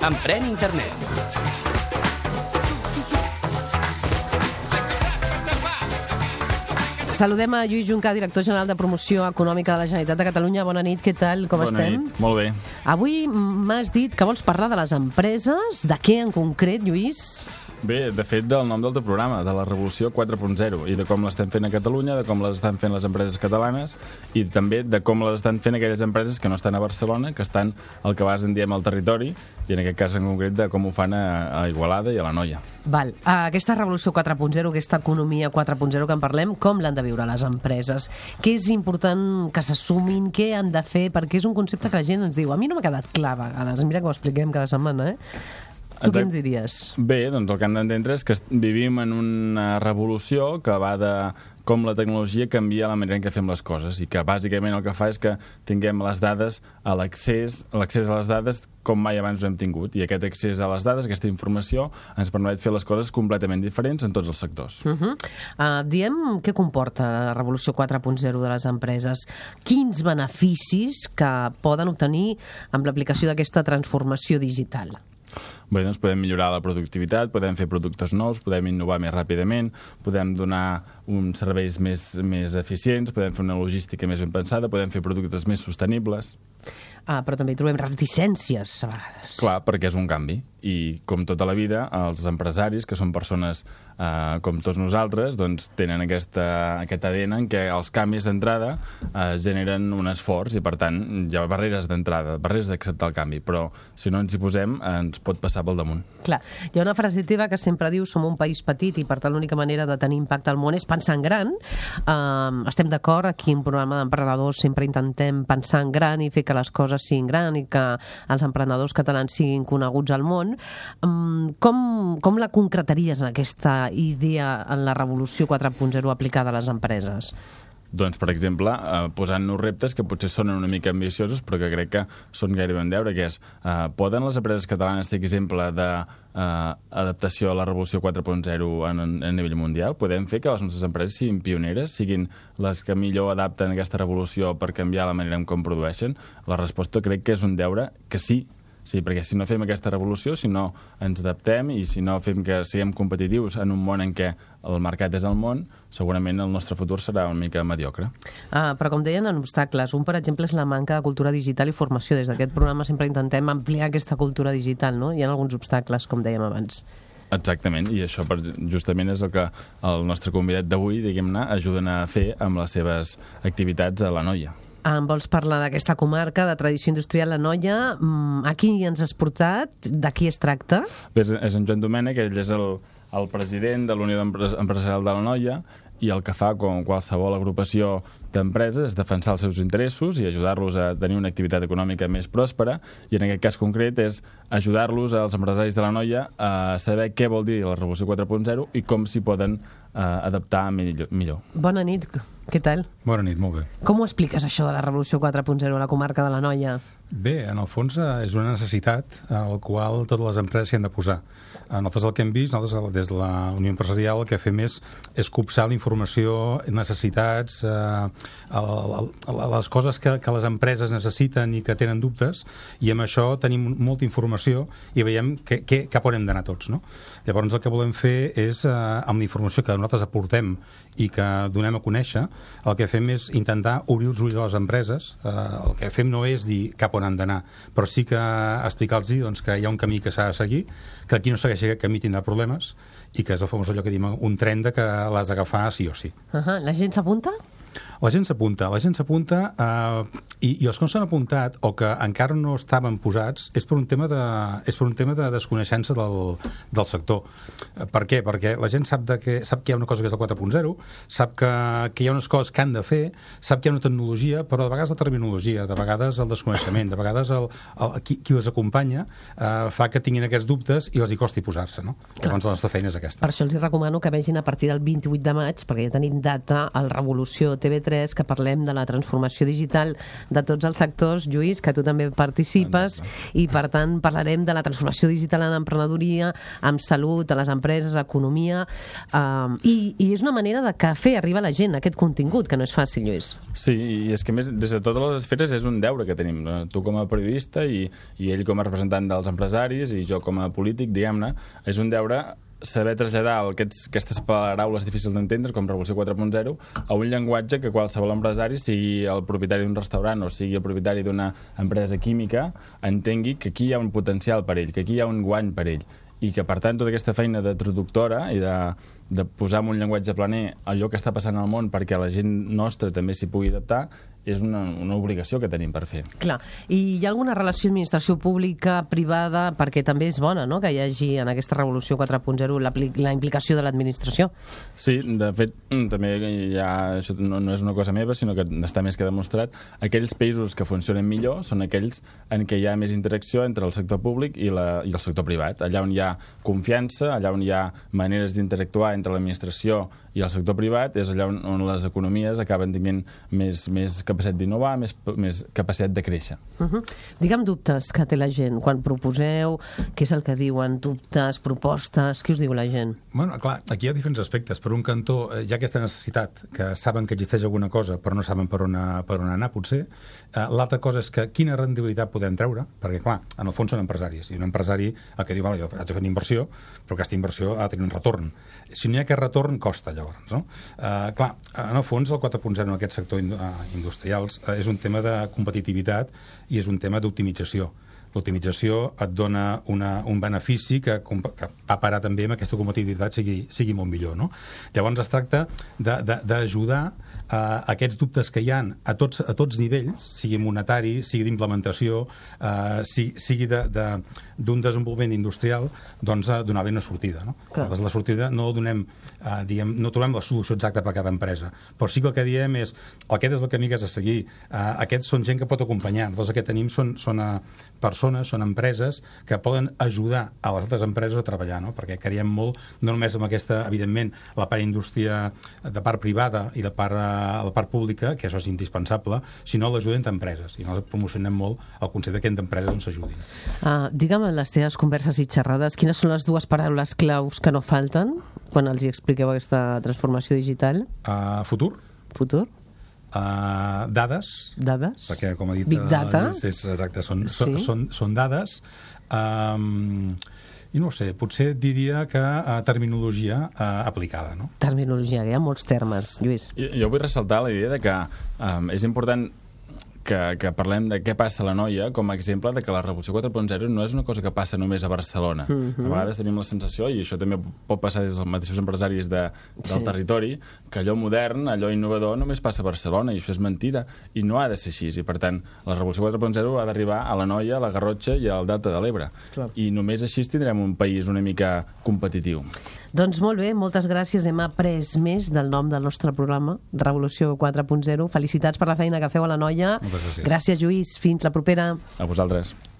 Emprèn Internet. Saludem a Lluís Juncà, director general de Promoció Econòmica de la Generalitat de Catalunya. Bona nit, què tal? Com estem? Bona nit, molt bé. Avui m'has dit que vols parlar de les empreses. De què en concret, Lluís? Bé, de fet, del nom del teu programa, de la Revolució 4.0, i de com l'estem fent a Catalunya, de com l'estan fent les empreses catalanes, i també de com les estan fent aquelles empreses que no estan a Barcelona, que estan al que en diem al territori, i en aquest cas en concret de com ho fan a Igualada i a l'Anoia. Val. Aquesta Revolució 4.0, aquesta economia 4.0 que en parlem, com l'han de viure les empreses? Què és important que s'assumin? Què han de fer? Perquè és un concepte que la gent ens diu. A mi no m'ha quedat clar a vegades. Mira que ho expliquem cada setmana, Tu què ens diries? Bé, doncs el que han d'entendre és que vivim en una revolució que va de com la tecnologia canvia la manera en què fem les coses i que bàsicament el que fa és que tinguem les dades a l'accés a les dades com mai abans ho hem tingut, i aquest accés a les dades, aquesta informació, ens permet fer les coses completament diferents en tots els sectors. Diem què comporta la Revolució 4.0 de les empreses. Quins beneficis que poden obtenir amb l'aplicació d'aquesta transformació digital? Bé, doncs podem millorar la productivitat, podem fer productes nous, podem innovar més ràpidament, podem donar uns serveis més eficients, podem fer una logística més ben pensada, podem fer productes més sostenibles. Però també hi trobem reticències a vegades. Clar, perquè és un canvi. I com tota la vida, els empresaris, que són persones com tots nosaltres, doncs tenen aquest ADN en què els canvis d'entrada generen un esforç i, per tant, hi ha barreres d'entrada, barreres d'acceptar el canvi. Però si no ens hi posem, ens pot passar pel damunt. Clar, hi ha una frase teva que sempre diu som un país petit i, per tant, l'única manera de tenir impacte al món és pensar en gran. Estem d'acord, aquí en un programa d'emprenedors sempre intentem pensar en gran i fer que les coses siguin gran i que els emprenedors catalans siguin coneguts al món. Com la concretaries en aquesta idea en la Revolució 4.0 aplicada a les empreses? Doncs, per exemple, posant-nos reptes que potser sonen una mica ambiciosos, però que crec que són gairebé en deure, que és, poden les empreses catalanes ser exemple d'adaptació a la Revolució 4.0 a nivell mundial? Podem fer que les nostres empreses siguin pioneres, siguin les que millor adapten aquesta revolució per canviar la manera en com produeixen? La resposta crec que és un deure que sí. Sí, perquè si no fem aquesta revolució, si no ens adaptem i si no fem que siguem competitius en un món en què el mercat és el món, segurament el nostre futur serà una mica mediocre. Però com deien, en obstacles. Un, per exemple, és la manca de cultura digital i formació. Des d'aquest programa sempre intentem ampliar aquesta cultura digital, no? Hi ha alguns obstacles, com dèiem abans. Exactament, i això justament és el que el nostre convidat d'avui, diguem-ne, ajuden a fer amb les seves activitats a l'Anoia. Em vols parlar d'aquesta comarca de tradició industrial, l'Anoia? A qui ens has portat? De qui es tracta? Bé, és en Joan Domènech, ell és el president de la Unió Empresarial de l'Anoia, i el que fa, com qualsevol agrupació d'empreses, és defensar els seus interessos i ajudar-los a tenir una activitat econòmica més pròspera, i en aquest cas concret és ajudar-los als empresaris de l'Anoia a saber què vol dir la Revolució 4.0 i com s'hi poden adaptar millor. Bona nit, què tal? Bona nit, molt bé. Com ho expliques, això de la Revolució 4.0 a la comarca de l'Anoia? Bé, en el fons és una necessitat a la qual totes les empreses s'hi han de posar. Nosaltres el que hem vist, nosaltres des de la Unió Empresarial, el que fem és copsar la informació, necessitats, les coses que les empreses necessiten i que tenen dubtes, i amb això tenim molta informació i veiem cap on hem d'anar tots, no? Llavors el que volem fer és, amb la informació que nosaltres aportem i que donem a conèixer, el que fem és intentar obrir els ulls a les empreses. El que fem no és dir cap on han d'anar, però sí que explicar-los doncs, que hi ha un camí que s'ha de seguir, que qui no segueixi aquest camí tindrà problemes, i que és el famós allò que diem un tren que l'has d'agafar sí o sí. La gent s'apunta? La gent s'apunta i els que no s'han apuntat o que encara no estaven posats és per un tema de desconeixença del sector. Per què? Perquè la gent sap que hi ha una cosa que és el 4.0, sap que hi ha unes coses que han de fer, sap que hi ha una tecnologia, però de vegades la terminologia, de vegades el desconeixement, de vegades qui les acompanya fa que tinguin aquests dubtes i els hi costi posar-se, no? Llavors la nostra feina és aquesta. Per això els recomano que vegin a partir del 28 de maig, perquè ja tenim data, al Revolució TV3, TV3, que parlem de la transformació digital de tots els sectors, Lluís, que tu també participes, i per tant parlarem de la transformació digital en emprenedoria, amb salut, a les empreses, economia, i és una manera de que fer arribar a la gent aquest contingut, que no és fàcil, Lluís. Sí, i és que més, des de totes les esferes és un deure que tenim. Tu com a periodista i ell com a representant dels empresaris i jo com a polític, diguem-ne, és un deure saber traslladar aquestes paraules difícils d'entendre, com Revolució 4.0, a un llenguatge que qualsevol empresari, sigui el propietari d'un restaurant o sigui el propietari d'una empresa química, entengui que aquí hi ha un potencial per ell, que aquí hi ha un guany per ell, i que, per tant, tota aquesta feina de traductora i de posar en un llenguatge planer allò que està passant al món perquè la gent nostra també s'hi pugui adaptar, és una obligació que tenim per fer. Clar, i hi ha alguna relació administració pública, privada, perquè també és bona, no?, que hi hagi en aquesta revolució 4.0 la implicació de l'administració? Sí, de fet, també hi ha, això no és una cosa meva, sinó que està més que demostrat, aquells països que funcionen millor són aquells en què hi ha més interacció entre el sector públic i el sector privat. Allà on hi ha confiança, allà on hi ha maneres d'interactuar entre l'administració i el sector privat, és allà on les economies acaben tenint més capacitat d'innovar, més capacitat de créixer. Digue'm dubtes que té la gent quan proposeu, què és el que diuen, dubtes, propostes, què us diu la gent? Bueno, clar, aquí hi ha diferents aspectes. Per un cantó, hi ha aquesta necessitat, que saben que existeix alguna cosa, però no saben per on anar, potser. L'altra cosa és que quina rendibilitat podem treure, perquè, clar, en el fons són empresaris, i un empresari el que diu, vale, jo haig de fer una inversió, però aquesta inversió ha de tenir un retorn. Si no hi ha aquest retorn, costa, llavors, no? Clar, en el fons, el 4.0 en aquest sector industrials és un tema de competitivitat i és un tema d'optimització. L'optimització et dona un benefici que va parar també amb aquesta competitivitat sigui molt millor, no? Llavors es tracta d'ajudar aquests dubtes que hi ha a tots nivells, sigui monetari, sigui d'implementació, sigui d'un desenvolupament industrial, doncs donar-li una sortida, no? Nosaltres la sortida no donem, no trobem la solució exacta per a cada empresa, però sí que el que diem és aquest és el camí que has de seguir, aquests són gent que pot acompanyar, nosaltres el que tenim són persones, són empreses que poden ajudar a les altres empreses a treballar, no? Perquè creiem molt, no només amb aquesta, evidentment, la part indústria de part privada i la part pública, que això és indispensable, sinó l'ajuda entre empreses. I nosaltres promocionem molt el concepte que entre empreses ens ajudin. Digue'm, en les teves converses i xerrades, quines són les dues paraules claus que no falten quan els hi expliqueu aquesta transformació digital? Futur. Futur. Dades. Dades. Perquè, com ha dit, Big Data. Exacte, són dades. I no sé, potser diria que terminologia aplicada, no? Terminologia, hi ha molts termes, Lluís. Jo vull ressaltar la idea de que és important que parlem de què passa a la Noia com a exemple de que la Revolució 4.0 no és una cosa que passa només a Barcelona. A vegades tenim la sensació, i això també pot passar des dels mateixos empresaris del territori, que allò modern, allò innovador només passa a Barcelona, i això és mentida, i no ha de ser així. I per tant, la Revolució 4.0 ha d'arribar a la Noia, a la Garrotxa i al Delta de l'Ebre. I només així tindrem un país una mica competitiu. Doncs molt bé, moltes gràcies. Hem après més del nom del nostre programa, Revolució 4.0. Felicitats per la feina que feu a la Noia. Moltes gràcies. Gràcies, Lluís. Fins la propera. A vosaltres.